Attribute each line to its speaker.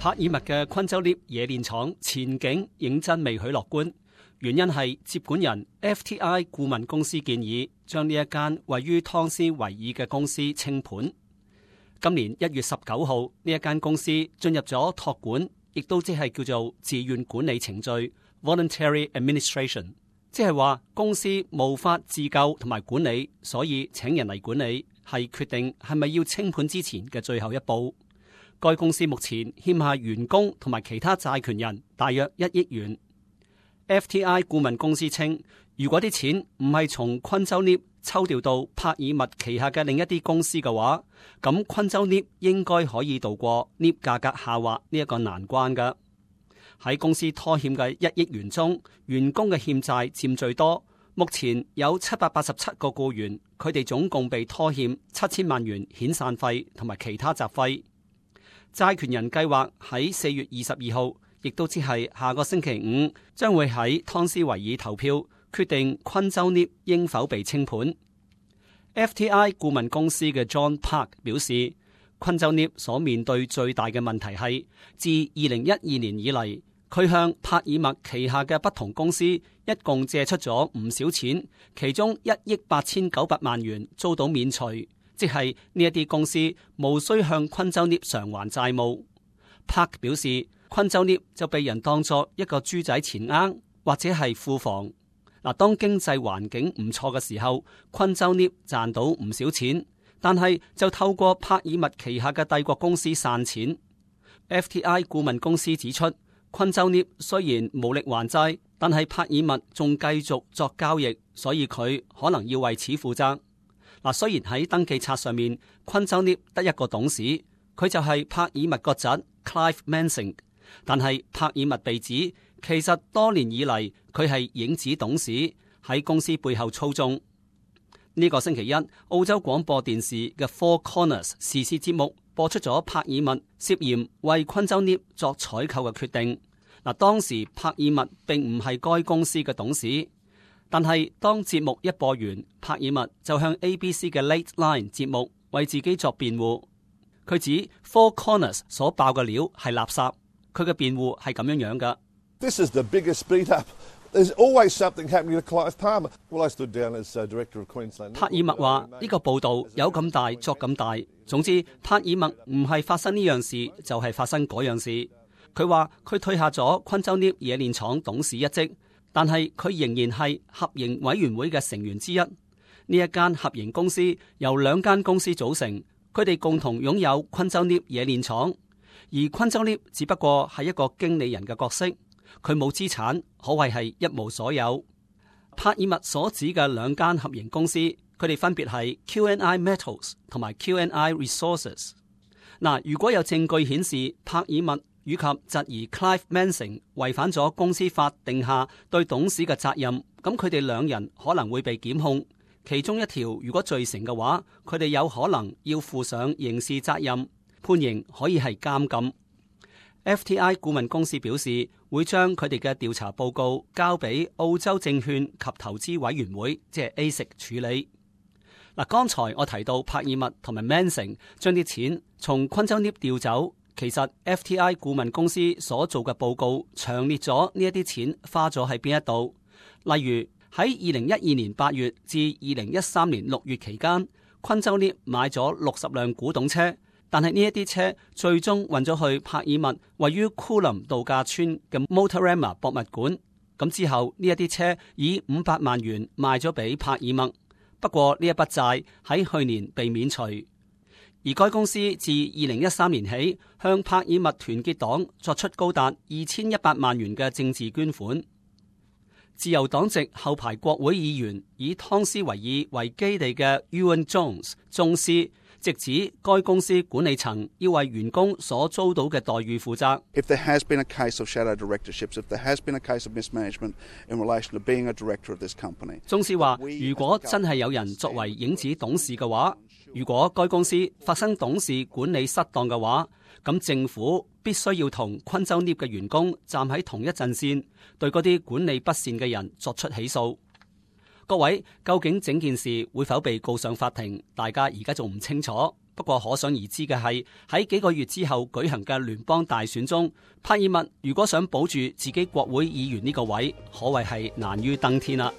Speaker 1: 帕爾默嘅昆州 lift 冶煉廠前景認真未許樂觀，原因係接管人 FTI 顧問公司建議將呢一間位於湯斯維爾嘅公司清盤。今年1月19號，呢一間公司進入咗託管，亦都即係叫做自願管理程序 （voluntary administration）， 即係話公司無法自救同埋管理，所以請人嚟管理，係決定係咪要清盤之前嘅最後一步。該公司目前欠下員工同埋其他債權人大約1億元。FTI 顧問公司稱，如果啲錢唔係從昆州 lift 抽調到帕爾默旗下嘅另一啲公司嘅話，咁昆州 lift 應該可以度過 lift 價格下滑呢一個難關㗎。喺公司拖欠嘅1億元中，員工嘅欠債佔最多。目前有787個僱員，佢哋總共被拖欠7000萬元遣散費同埋其他雜費。債權人計劃喺4月22號，亦都只係下個星期五，將會喺湯斯維爾投票，決定昆州 lift 應否被清盤。FTI 顧問公司嘅 John Park 表示，昆州 lift 所面對最大嘅問題係，自2012年以嚟，佢向帕爾默旗下嘅不同公司一共借出咗唔少錢，其中1億8900萬元遭到免除。即係呢一啲公司無需向昆州 lift 償還債務。Park 表示，昆州 lift 就被人當作一個豬仔錢罌或者係庫房。嗱，當經濟環境唔錯嘅時候，昆州 lift 賺到唔少錢，但係就透過帕爾默旗下嘅帝國公司散錢。FTI 顧問公司指出，昆州 lift 雖然無力還債，但係帕爾默仲繼續作交易，所以佢可能要為此負責。嗱，雖然喺登記冊上面，昆州 lift 得一個董事，佢就係帕爾默個侄 Clive Mansing， 但係帕爾默被指其實多年以嚟佢係影子董事，喺公司背後操縱。呢個星期一，澳洲廣播電視嘅 Four Corners 時事節目播出咗帕爾默涉嫌為昆州 lift 作採購嘅決定。嗱，當時帕爾默並唔係該公司嘅董事。但係當節目一播完，帕爾默就向 ABC 嘅 Late Line 節目為自己作辯護。佢指 Four Corners 所爆嘅料係垃圾。佢嘅辯護係咁樣嘅。
Speaker 2: This is the biggest beat up. There's always something happening to Clive Palmer. Well, I stood down as director of Queensland.
Speaker 1: 帕爾默話呢個報道有咁大作咁大。總之，帕爾默唔係發生呢樣事，就係發生嗰樣事。佢話佢退下咗昆州 lift 冶煉廠董事一職。但係佢仍然係合營委員會嘅成員之一。呢一間合營公司由2間公司組成，佢哋共同擁有昆州 lift 冶煉廠，而昆州 lift 只不過係一個經理人嘅角色，佢冇資產，可謂係一無所有。帕爾默所指嘅2間合營公司，佢哋分別係 QNI Metals 同埋 QNI Resources。嗱，如果有證據顯示帕爾默以及侄兒 Clive Mansing 違反咗公司法定下對董事嘅責任，咁佢哋2人可能會被檢控。其中一條如果罪成嘅話，佢哋有可能要負上刑事責任，判刑可以係監禁。FTI 顧問公司表示會將佢哋嘅調查報告交俾澳洲證券及投資委員會，即係 ASIC 處理。嗱，剛才我提到帕爾默同埋 Mansing 將啲錢從昆州 lift 調走。其實 FTI 顧問公司所做嘅報告詳列咗呢一啲錢花咗喺邊一度。例如喺2012年8月至2013年6月期間，昆州 lift 買咗60輛古董車，但係呢一啲車最終運咗去帕爾默位於庫林度假村嘅 Motorama 博物館。咁之後呢一啲車以500萬元賣咗俾帕爾默。不過呢一筆債喺去年被免除。而該公司自2013年起向帕爾默團結黨作出高達2100萬元嘅政治捐款。自由黨籍後排國會議員以湯斯維爾為基地嘅 Ewan Jones 宗師直指該公司管理層要為員工所遭到嘅待遇負責。
Speaker 3: If there has been a case of shadow directorships, if there has been a case of mismanagement in relation to being a director of this company，
Speaker 1: 宗師話：如果真係有人作為影子董事嘅話，如果該公司發生董事管理失當嘅話，咁政府必須要同昆州 lift 嘅員工站喺同一陣線，對嗰啲管理不善嘅人作出起訴。各位，究竟整件事會否被告上法庭？大家而家仲唔清楚。不過可想而知嘅係，喺幾個月之後舉行嘅聯邦大選中，帕爾默如果想保住自己國會議員呢個位，可謂係難於登天啦。